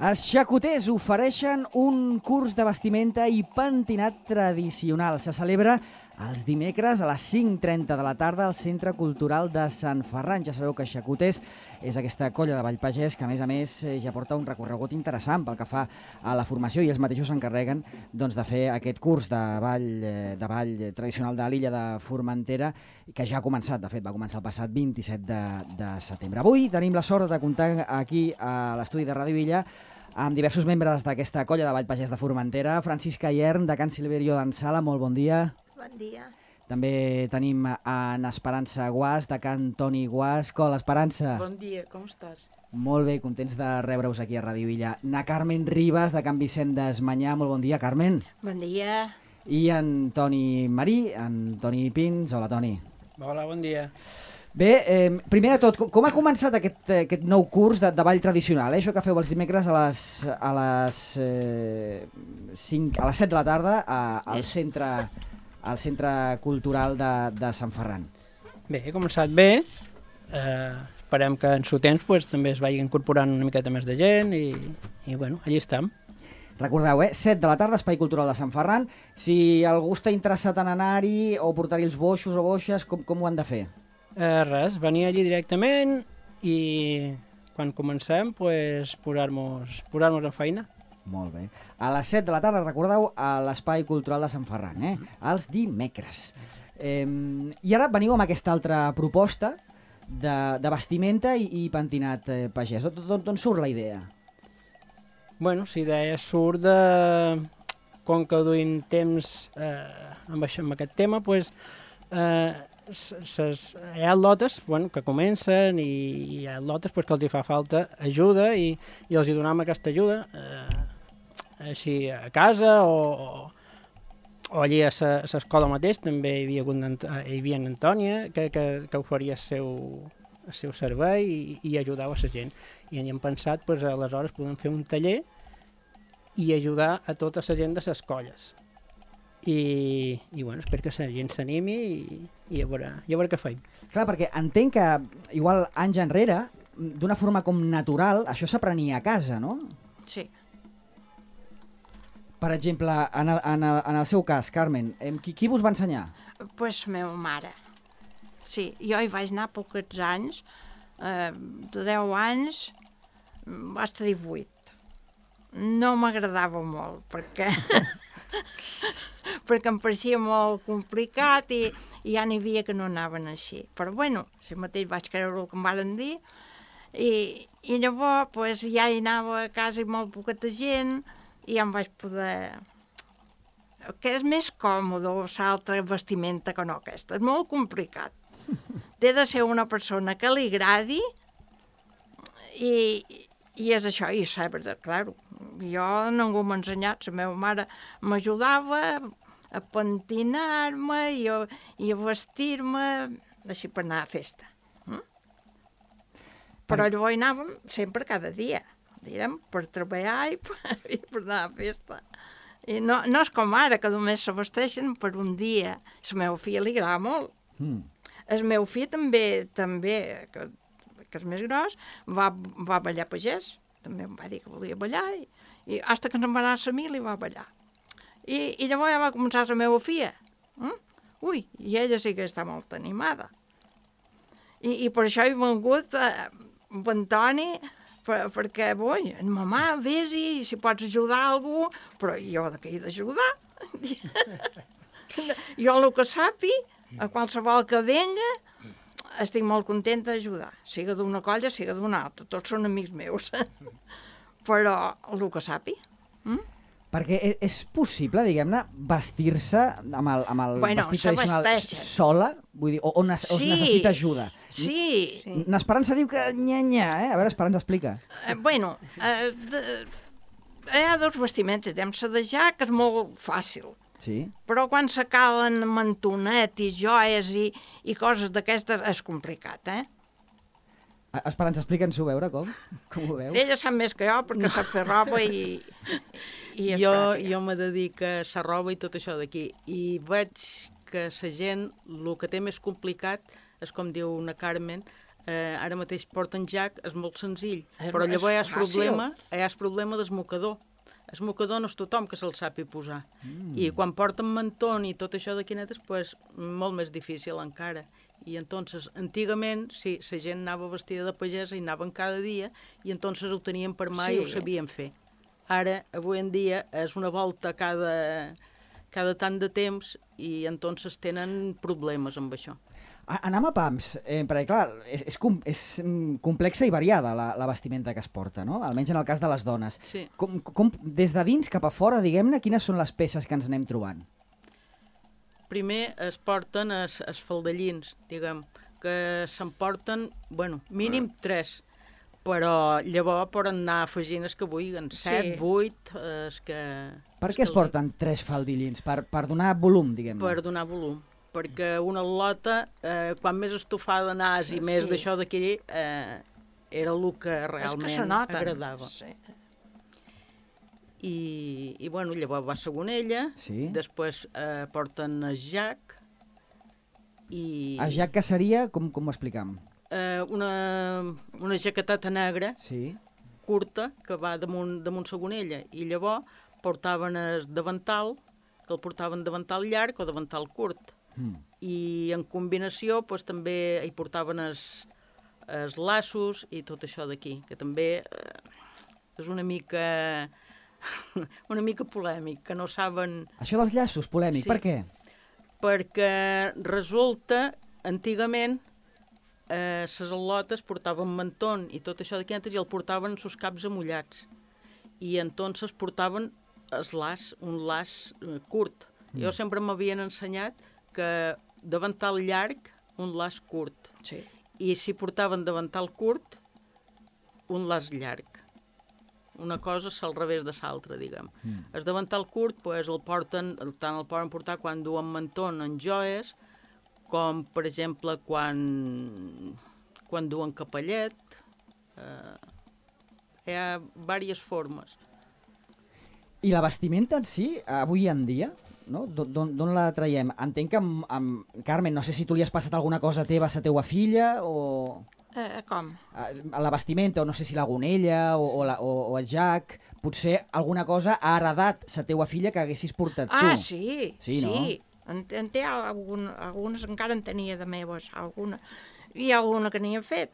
Els xacoters ofereixen un curs de vestimenta i pentinat tradicional. Se celebra els dimecres a les 5:30 de la tarda al Centre Cultural de Sant Ferran. Ja sabeu que Xacoters és aquesta colla de Vallpagès que, a més, ja porta un recorregut interessant pel que fa a la formació i ells mateixos s'encarreguen de fer aquest curs de ball tradicional de l'illa de Formentera, que ja ha començat, de fet, va començar el passat 27 de setembre. Avui tenim la sort de comptar aquí a l'estudi de Ràdio Illa amb diversos membres d'aquesta colla de Vallpagès de Formentera. Francisca Iern, de Can Silverio d'Ensala, molt bon dia. Bon dia. També tenim en Esperança Guas, de Can Toni Guas. Hola, Esperança. Bon dia, com estàs? Molt bé, contents de rebre-us aquí a Ràdio Illa. Na Carmen Ribas, de Can Vicent d'Esmanyà. Molt bon dia, Carmen. Bon dia. I en Toni Marí, en Toni Pins. Hola, Toni. Hola, bon dia. Bé, primer de tot, com ha començat aquest nou curs de ball tradicional? Això que feu els dimecres a les 7 de la tarda al Centre Cultural de Sant Ferran. Bé, he començat bé. Esperem que en seu temps també es vagi incorporant una miqueta més de gent i bueno, allí estem. Recordeu, 7 de la tarda, Espai Cultural de Sant Ferran. Si algú està interessat en anar-hi o portar-hi els boixos o boixes, com ho han de fer? Res, venir allí directament i quan comencem posar-nos en feina. Molt bé. A les 7 de la tarda, recordeu, a l'Espai Cultural de Sant Ferran, els dimecres. I ara veniu amb aquesta altra proposta de vestimenta i pentinat pagès. D'on surt la idea? Bueno, la idea surt de... Com que duim temps amb aquest tema, hi ha lotes que comencen i hi ha lotes que els fa falta ajuda i els donem aquesta ajuda així a casa o allí a l'escola mateix. També hi havia en Antònia que oferia el seu servei i ajudava a la gent, i hem pensat aleshores podem fer un taller i ajudar a tota la gent de les colles. I bueno, espero que la gent s'animi i a veure què feim. Clar, perquè entenc que, igual anys enrere, d'una forma com natural, això s'aprenia a casa, no? Sí. Per exemple, en el seu cas, Carmen, qui vos va ensenyar? Pues meva mare. Sí, jo hi vaig anar pocs anys, de 10 anys, va estar 18. No m'agradava molt, perquè em pareixia molt complicat i ja n'hi havia que no anaven així. Però bueno, si mateix vaig creure el que em van dir i llavors ja hi anava a casa i molt poqueta gent i ja em vaig poder... Que és més còmode l'altra vestimenta que no aquesta. És molt complicat. Té de ser una persona que li agradi i és això, i saber, clar, jo ningú m'ha ensenyat, la meva mare m'ajudava a pentinar-me i a vestir-me així per anar a festa. Però llavors hi anàvem sempre cada dia, direm, per treballar i per anar a festa. I no és com ara, que només se vesteixen per un dia. A la meva filla li agrada molt. El meu fill també que és més gros, va ballar pagès, també em va dir que volia ballar, i fins que se'n va anar a la mili va ballar. I llavors ja va començar la meva filla. Ui, i ella sí que està molt animada. I per això he vengut amb en Toni, perquè, mamà, vés-hi, si pots ajudar a algú, però jo de què he d'ajudar? Jo el que sàpi, a qualsevol que venga, estic molt contenta d'ajudar, siga d'una colla, siga d'una altra, tots són amics meus, però el que sàpi. Perquè és possible, diguem-ne, vestir-se amb el vestit tradicional sola? Vull dir, o necessita ajuda? Sí. N'Esperança diu que nya. A veure, Esperança, explica. Bueno, hi ha dos vestiments, la de ja, que és molt fàcil. Sí. Però quan se calen mantonet i joies i coses d'aquestes és complicat, Esperança, explica'ns-ho, veure com ho veu. Ella sap més que jo perquè sap fer roba i és pràctica. Jo me dedico a la roba i tot això d'aquí i veig que la gent el que té més complicat és, com diu una Carmen, ara mateix porten jack, és molt senzill, És- però llavors és hi ha el problema del mocador. El mocador no és tothom que se'l sapi posar. I quan porten mantón i tot això de quinetes, pues, molt més difícil encara. I entonces, antigament, sí, la gent anava vestida de pagesa i anaven cada dia i entonces ho tenien per mà i ho sabien fer. Ara, avui en dia, és una volta cada tant de temps i entonces tenen problemes amb això. Anem a pams, perquè clar, és complexa i variada la vestimenta que es porta, no? Almenys en el cas de les dones. Sí. Des de dins cap a fora, diguem-ne, quines són les peces que ens anem trobant? Primer es porten els faldellins, diguem, que s'emporten, bueno, mínim 3, però llavors poden anar afegint els que vulguin, 7, 8, els que... Per què es porten 3 faldillins? Per donar volum, diguem-ne? Per donar volum. Perquè una lota, quan més estofada anàs i més d'això d'aquí, era el que realment agradava. Sí. I bueno, llavors va segonella, després porten el jack i... El jack que seria, com ho explicam? Una jaqueteta negra, curta, que va damunt segonella, i llavors portaven el davantal, que el portaven davantal llarg o davantal curt. I en combinació doncs, també hi portaven els laços i tot això d'aquí, que també és una mica polèmic, que no saben... Això dels llaços, polèmic, per què? Perquè resulta, antigament, les al·lotes portaven mantón i tot això d'aquí i el portaven sus caps amullats. I entonces portaven un laç curt. Jo sempre m'havien ensenyat que davantal llarg, un laç curt. Sí. I si portaven davantal curt, un laç llarg. Una cosa és al revés de l'altra, diguem. El davantal curt, pues, tant el poden portar quan duen mantón en joies, com, per exemple, quan duen capellet. Hi ha diverses formes. I la vestimenta en si, avui en dia, no? D'on la traiem? Entenc que Carmen, no sé si tu li has passat alguna cosa teva a la teua filla, o... Com? La vestimenta, o no sé si la gonella, o el jack, potser alguna cosa ha heredat la teua filla que haguessis portat tu. Sí. No? En té algunes encara en tenia de meves, alguna. I alguna que n'hi ha fet.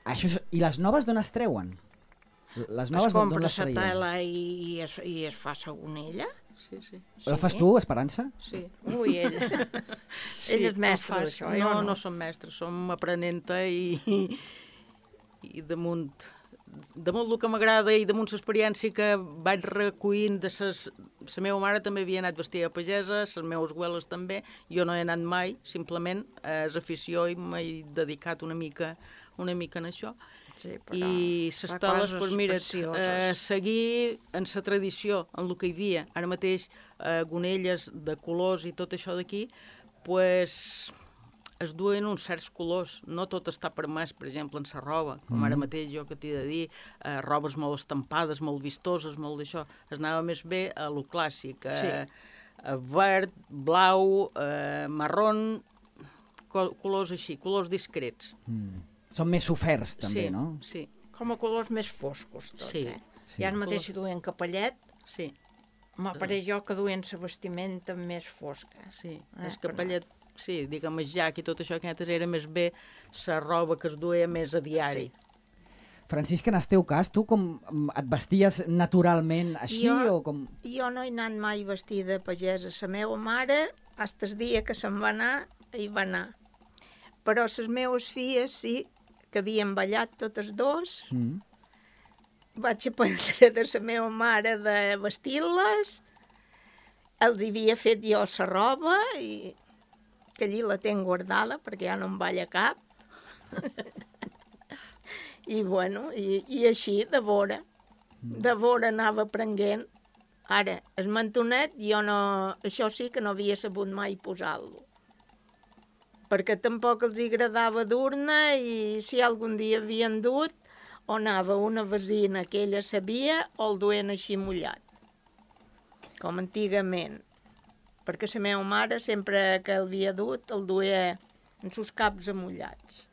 I les noves d'on es treuen? Les noves es compra la tela i es fa segonella. Sí. La fas tu, Esperança? Sí. Ui, ella. Ella és mestra d'això. No som mestres, som aprenenta i damunt el que m'agrada i damunt l'experiència que vaig recollint de la meva mare també havia anat vestida de pagesa, les meves abueles també, jo no he anat mai, simplement és afició i m'he dedicat una mica en això. Sí, i les teles, doncs mira, seguir en la tradició, en el que hi havia, ara mateix gonelles de colors i tot això d'aquí, pues es duen uns certs colors, no tot està permès, per exemple, en la roba, com ara mateix jo que t'he de dir, robes molt estampades, molt vistoses, molt d'això, es anava més bé a lo clàssic, verd, blau, marrón, colors així, colors discrets. Són més soferts, també, no? Sí. Com a colors més foscos, tot, Sí. I ara mateix si duien capellet, Sí. m'apareix jo que duien la vestimenta més fosca. Sí, el capellet, sí, diguem, el jack i tot això, que antes era més bé la roba que es duia més a diari. Francisca, en el teu cas, tu com et vesties naturalment així o com... Jo no he anat mai vestida de pagesa. La meva mare, fins el dia que se'n va anar, hi va anar. Però les meves filles sí, que havien ballat totes dos. Vaig aprendre de la meva mare de vestir-les. Els havia fet jo la roba, i que allí la tenc guardada perquè ja no em balla cap. I bueno, i així de vora anava aprenent. Ara, el mantonet, jo no, això sí que no havia sabut mai posar-lo, perquè tampoc els agradava dur-ne, i si algun dia havien dut, o anava una vesina que ella sabia, o el duien així mullat, com antigament, perquè la meva mare sempre que el havia dut el duia en sus caps amullats.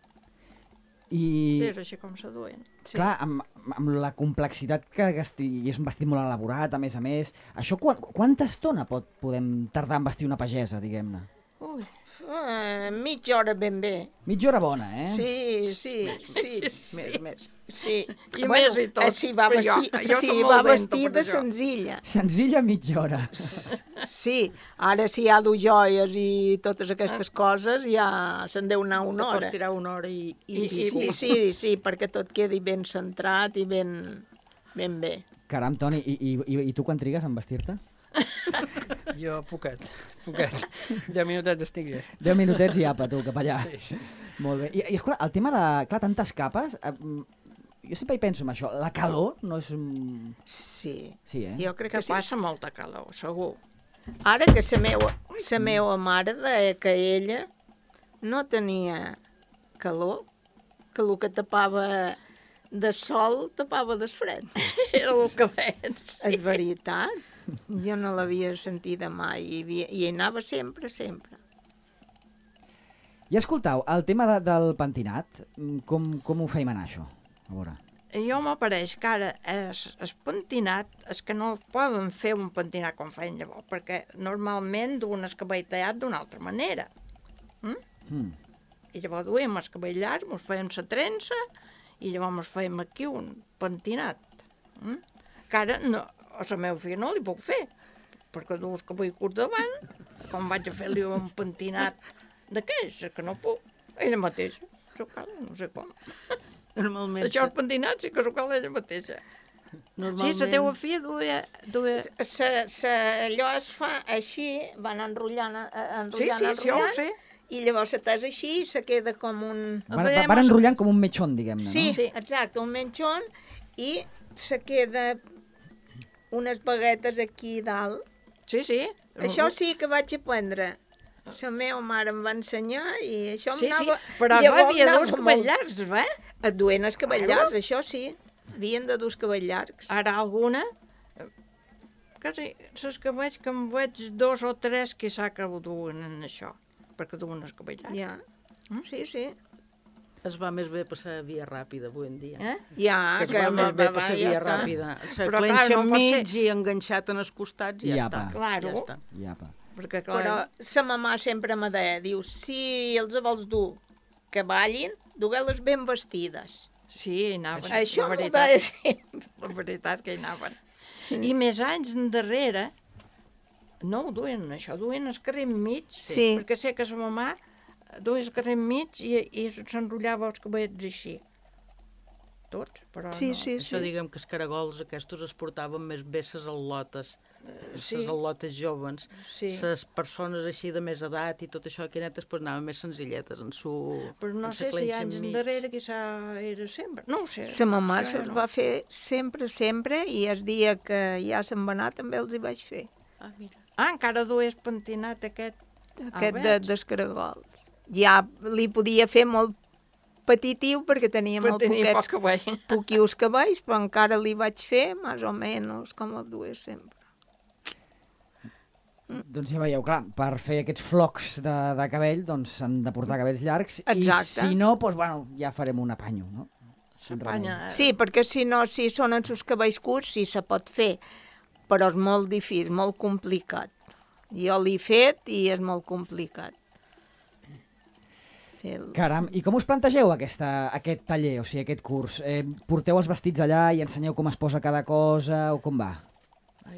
És així com se duen. Clar, amb la complexitat que és un vestit molt elaborat, a més, això quanta estona podem tardar en vestir una pagesa, diguem-ne? Ui, mitja hora ben bé. Mitja hora bona, eh? Sí. Més. Sí. I més i tot. Si va vestida senzilla. Senzilla mitja hora. Sí, ara si hi ha joies i totes aquestes coses ja se'n deu anar una hora. Pots tirar una hora i Sí, perquè tot quedi ben centrat i ben bé. Caram, Toni, i tu quan trigues en vestir-te? Jo, poquet. 10 minutets estic llest. 10 minutets i apa, tu, cap allà. Sí. Molt bé. I escolta, el tema de, clar, tantes capes, jo sempre hi penso en això, la calor no és... Sí, Jo crec que passa molta calor, segur. Ara que la meva mare deia que ella no tenia calor, que el que tapava de sol tapava del fred. Era el que veig. És veritat. Jo no l'havia sentida mai i hi anava sempre. I escoltau, el tema del pentinat, com ho feim anar, això? A veure. Jo m'apareix que ara el pentinat és que no poden fer un pentinat com feien llavors, perquè normalment duen el cabell tallat d'una altra manera. I llavors duem el cabell llarg, ens fèiem la trença i llavors ens fèiem aquí un pentinat. Que ara a la meva filla no li puc fer, perquè du el cabell curt davant, com vaig a fer-li un pentinat d'aquells, que no puc. Ella mateixa, no sé com. Normalment... Això els pentinats sí que s'ho cal ella mateixa. Normalment... Sí, la teva filla duia... Allò es fa així, van enrotllant, Sí, jo ho sé. I llavors se tesa així i se queda com un... Van enrotllant com un mechón, diguem-ne, no? Sí, exacte, un mechón, i se queda unes baguetes aquí dalt. Sí. Això sí que vaig aprendre. La meva mare em va ensenyar i això m'anava... Sí, però havia dos cabells llargs, Et duen els cabells llargs, això sí. Havien de dur els cabells llargs. Ara alguna... Quasi, els cabells que em veig 2 o 3 que sap que ho duen en això, perquè duen els cabells llargs. Ja, sí. Es va més bé passar via ràpida avui en dia. Ja, que es va més bé passar via ràpida. Se clenxa enmig i enganxat en els costats i ja està. Claro. Perquè, però sa mamà sempre me deia, diu, si els vols dur que ballin, dugueu-les ben vestides. Sí, hi anaven. Això m'ho deia sempre. La veritat que hi anaven. I més anys endarrere, no ho duen això, duen el carrer enmig, perquè sé que sa mamà duia el carrer enmig i s'enrotllava els cabells així. Tots, però sí. no. Això diguem que els caragols aquests es portaven més bé ses al·lotes, ses al·lotes joves. Les persones així de més edat i tot això, aquestes anaven més senzilletes en su... Però no sé si anys endarrere quizà era sempre, no ho sé. Sa mamà se'ls va fer sempre i el dia que ja se'n va anar també els hi vaig fer. Encara dues pentinat aquest dels caragols. Ja li podia fer molt petitiu perquè tenia molt poquius cabells, però encara li vaig fer més o menys com el dues sempre. Doncs ja veieu, clar, per fer aquests flocs de cabell doncs s'han de portar cabells llargs. Exacte. I si no, doncs bueno, ja farem un apanyo, no? Sí, perquè si no, si són els seus cabells curts sí se pot fer, però és molt difícil, molt complicat. Jo l'he fet i és molt complicat. Caram, i com us plantegeu aquest taller, o sigui, aquest curs? Porteu els vestits allà i ensenyeu com es posa cada cosa o com va?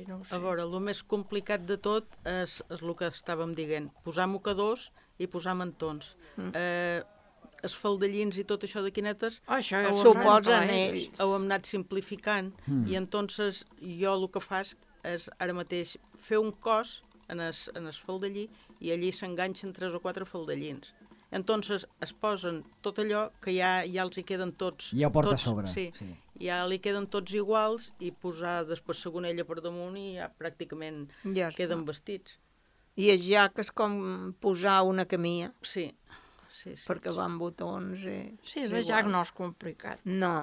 No ho sé. A veure, el més complicat de tot és el que estàvem dient, posar mocadors i posar mantons. Els faldellins i tot això de quinetes s'ho posen ells. Ho hem anat simplificant i entonces jo el que faig és ara mateix fer un cos en el faldellí i allí s'enganxen 3 o 4 faldellins. Entonces es posen tot allò que ja els hi queden tots. Ja ho porta a sobre. Sí, ja li queden tots iguals i posar després la gonella per damunt i ja pràcticament queden vestits. I el jac és com posar una camilla. Sí. Perquè van botons. Sí, el jac no és complicat. No.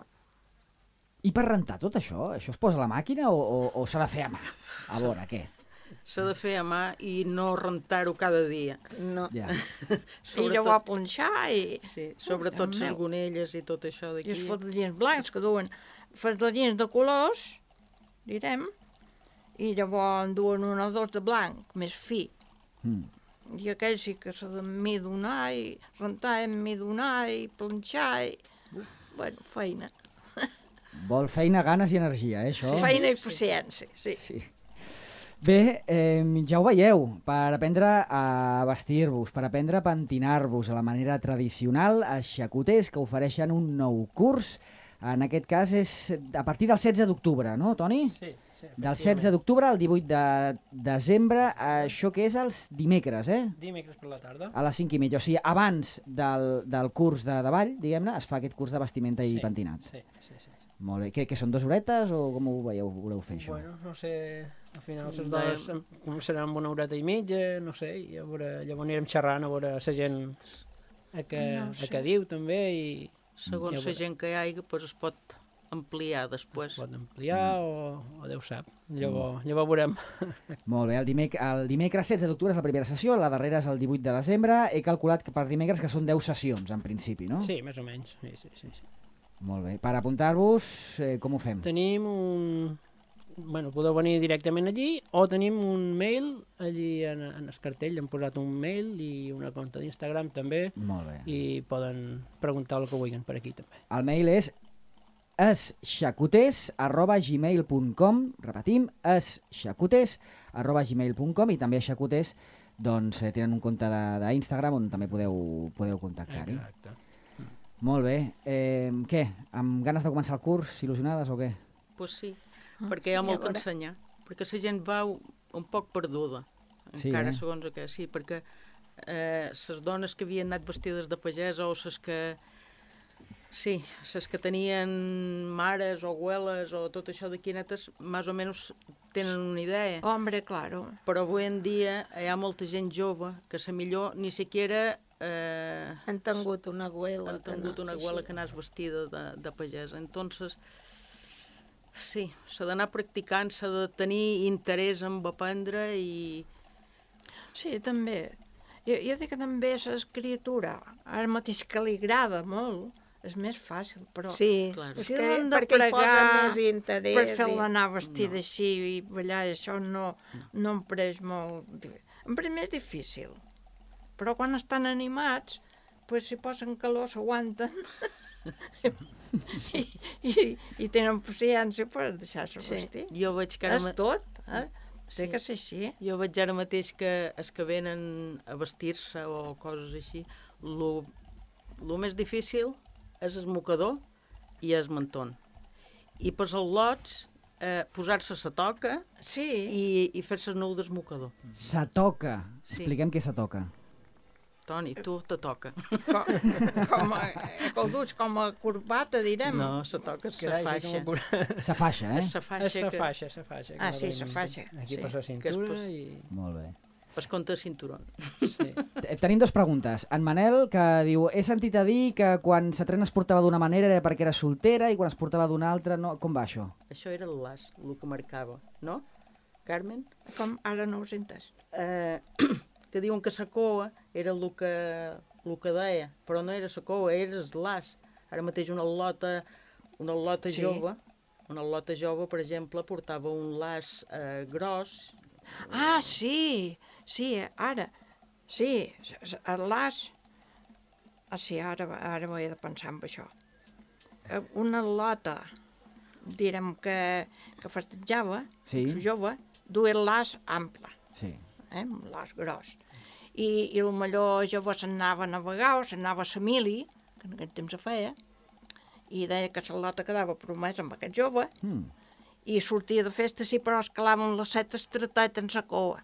I per rentar tot això? Això es posa a la màquina o s'ha de fer a mà? A veure, què? s'ha de fer a mà i no rentar-ho cada dia. No. Ja. I llavors planxar i... Sí, sobretot les gonelles i tot això I d'aquí. els faldellins blancs que duen faldellins de colors, direm, i llavors en duen un o dos de blanc, més fi. I aquell sí que s'ha de midonar i rentar i midonar i planxar i... Bueno, feina. Vol feina, ganes i energia, això? Feina i paciència, sí. Bé, ja ho veieu, per aprendre a vestir-vos, per aprendre a pentinar-vos a la manera tradicional, a xacoters que ofereixen un nou curs. En aquest cas és a partir del 16 d'octubre, no, Toni? Sí. Del 16 d'octubre al 18 de desembre, això que és els dimecres, eh? Dimecres per la tarda. A les 5:30, o sigui, abans del curs de ball, diguem-ne, es fa aquest curs de vestimenta i pentinat. Sí. Molt bé. Què són, 2 horetes o com ho veieu, voleu fer això? Bueno, no sé, al final les dones començaran amb 1 horeta i mitja, no sé, i llavors anirem xerrant a veure la gent a què diu també i... Segons la gent que hi hagi, doncs es pot ampliar després. Es pot ampliar o Déu sap. Llavors veurem. Molt bé, el dimecres 16 d'octubre és la primera sessió, la darrera és el 18 de desembre. He calculat que per dimecres que són 10 sessions, en principi, no? Sí, més o menys. Sí. Molt bé. Per apuntar-vos, com ho fem? Tenim Bueno, podeu venir directament allí o tenim un mail allí en el cartell, hem posat un mail i una compte d'Instagram també. Molt bé. I poden preguntar el que vulguin per aquí també. El mail és esxacoters@gmail.com, repetim, esxacoters@gmail.com, i també xacoters doncs tenen un compte d'Instagram on també podeu contactar-hi. Exacte. Molt bé. Què? Amb ganes de començar el curs, il·lusionades o què? Pues sí, perquè hi ha molt que ensenyar, perquè la gent va un poc perduda, encara segons que sí, perquè les dones que havien anat vestides de pagesa o les que tenien mares o abueles o tot això d'aquí netes, més o menys tenen una idea. Hombre, claro. Però avui en dia hi ha molta gent jove que a millor ni siquiera han tingut una abuela que anés vestida de pagesa. Entonces, sí, s'ha d'anar practicant, s'ha de tenir interès en aprendre i... Sí, també. Jo dic que també l'escriptura, ara mateix que li agrada molt, és més fàcil, però... Sí, claro. és que perquè hi posa més interès. Per fer-la anar vestida així i ballar, això no em pareix molt... Em pareix més difícil. Però quan estan animats, pues, si posen calor s'aguanten i tenen paciència per deixar-se vestir. Jo veig que és tot, té que ser així. Jo veig ara mateix que els que venen a vestir-se o coses així, el més difícil és el mocador i el mantó. I per als lots, posar-se la toca i fer-se el nou del mocador. La toca. Expliquem què és la toca. Toni, tu te toca. Com a corbata, direm. No, la toca és la faixa. La faixa, eh? La faixa. Ah, sí, la faixa. Aquí per la cintura i... Molt bé. Per compte de cinturó. Sí. Tenim 2 preguntes. En Manel, que diu, he sentit a dir que quan la trena es portava d'una manera era perquè era soltera i quan es portava d'una altra, no. Com va això? Això era el las, el que marcava, no? Carmen? Com? Ara no ho sentes. Que diuen que la coa era el que deia, però no era la coa, era el las. Ara mateix una lota jove, per exemple, portava un las gros. Ah, sí, ara. Sí, el las... Ah, sí, ara m'ho he de pensar en això. Una lota, direm que festejava, jove, duia el las ample. Sí. Un las gros. I potser llavors s'anava a navegar o s'anava a la mili, que en aquest temps se feia, i deia que la lota quedava promesa amb aquest jove, i sortia de festa, sí, però es calaven les setes tratat en la coa.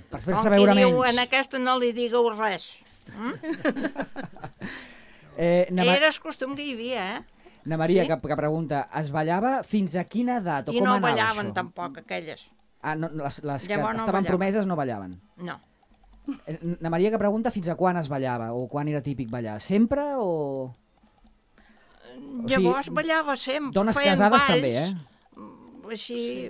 Per fer-se veure menys. Diu, en aquesta no li digueu res. Era el costum que hi havia, Na Maria, que pregunta, es ballava fins a quina edat o com anava això? I no ballaven tampoc, aquelles. Ah, no, les que estaven promeses no ballaven? No. Na Maria, que pregunta fins a quan es ballava o quan era típic ballar. Sempre o...? Llavors ballava sempre. Dones casades també, Així,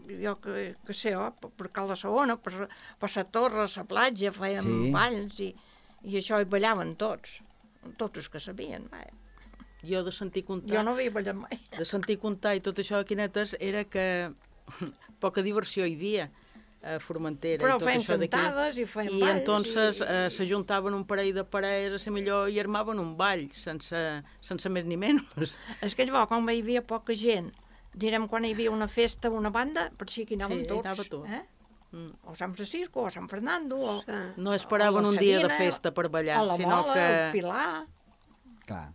jo que sé, per Cal de Saona, per la torre, a la platja, fèiem balls i això hi ballaven tots els que sabien, vaja. Jo de sentir contar... Jo no havia ballat mai. De sentir contar i tot això a Quinetes era que poca diversió hi havia a Formentera. Però i tot feien això cantades i feien balls. I entonces s'ajuntaven un parell de parelles a ser millor i armaven un ball, sense més ni menys. És que llavors, quan hi havia poca gent, direm quan hi havia una festa, una banda, per si aquí anàvem tots. Anava tot. O Sant Francisco, o Sant Fernando, o... No esperaven un dia de festa per ballar, sinó que... O la Mola, o Pilar... Clar.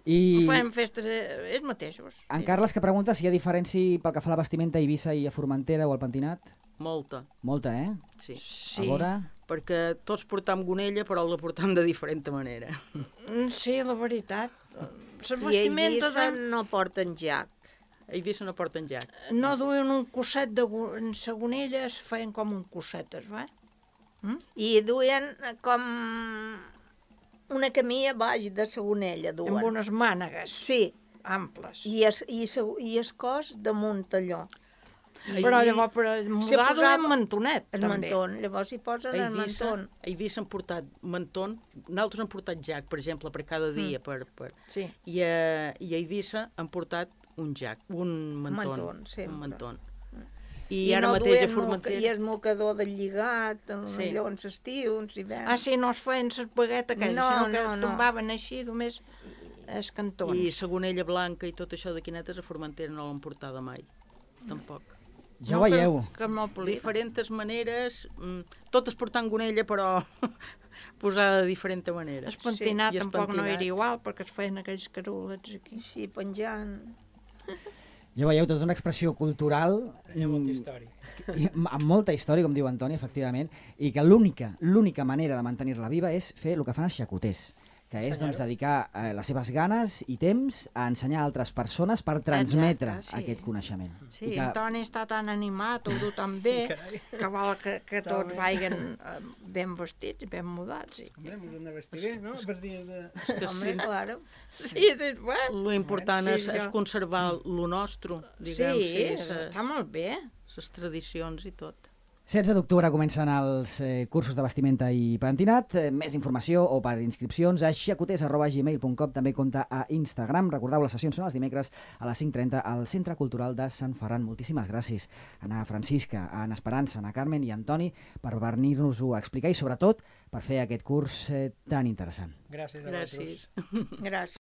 I... Fem festes ells mateixos. En Carles que pregunta si hi ha diferència pel que fa a la vestimenta a Eivissa i a Formentera o al Pentinat? Molta. Molta, eh? Sí. A veure... Perquè tots portam gonella, però la portam de diferent manera. Sí, la veritat. I a Eivissa no porten jac. A Eivissa no porten jac. No duien un cosset de gonella, es feien com un cosset, va? I duien com... una camilla baix de sagonella, duen. Amb unes mànegues. Sí. Amples. I el cos damunt allò. Però llavors per mudar duien mantonet, el també. Manton, llavors hi posen el manton. A Eivissa han portat manton, nosaltres han portat jac, per exemple, per cada dia. Sí. I a Eivissa han portat un jac, un manton. Un manton. I ara no mateix a Formentera... I el mocador del lligat, allò en l'estiu, en l'hivern. Sí, no es feien les baguetes aquelles, sinó que tombaven així només els cantons. I la gonella blanca i tot això de Quinetes a Formentera no l'han portada mai, tampoc. Ja ho veieu. Diferents maneres, totes portant gonella, però posada de diferent manera. El pentinat tampoc no era igual, perquè es feien aquells carulets aquí. Sí, penjant... Ja veieu, tota una expressió cultural... Hi ha molta història. Amb molta història, com diu Antoni, efectivament, i que l'única manera de mantenir-la viva és fer el que fan els xacoters, que és dedicar les seves ganes i temps a ensenyar a altres persones per transmetre aquest coneixement. Sí, Antoni està tan animat, ho du tan bé, que vol que tots vagin ben vestits, ben mudats. Home, ens hem de vestir bé, no? Per dies de... Home, claro. Sí, és bueno. Lo important és conservar lo nostre, diguem. Sí, està molt bé. Les tradicions i tot. 16 d'octubre comencen els cursos de vestimenta i pentinat. Més informació o per inscripcions a xacoters@gmail.com, també compta a Instagram. Recordeu, les sessions són els dimecres a les 5:30 al Centre Cultural de Sant Ferran. Moltíssimes gràcies a Ana Francisca, a Ana Esperança, a Ana Carmen i a Antoni per venir-nos-ho a explicar i sobretot per fer aquest curs tan interessant. Gràcies a vosaltres. Gràcies.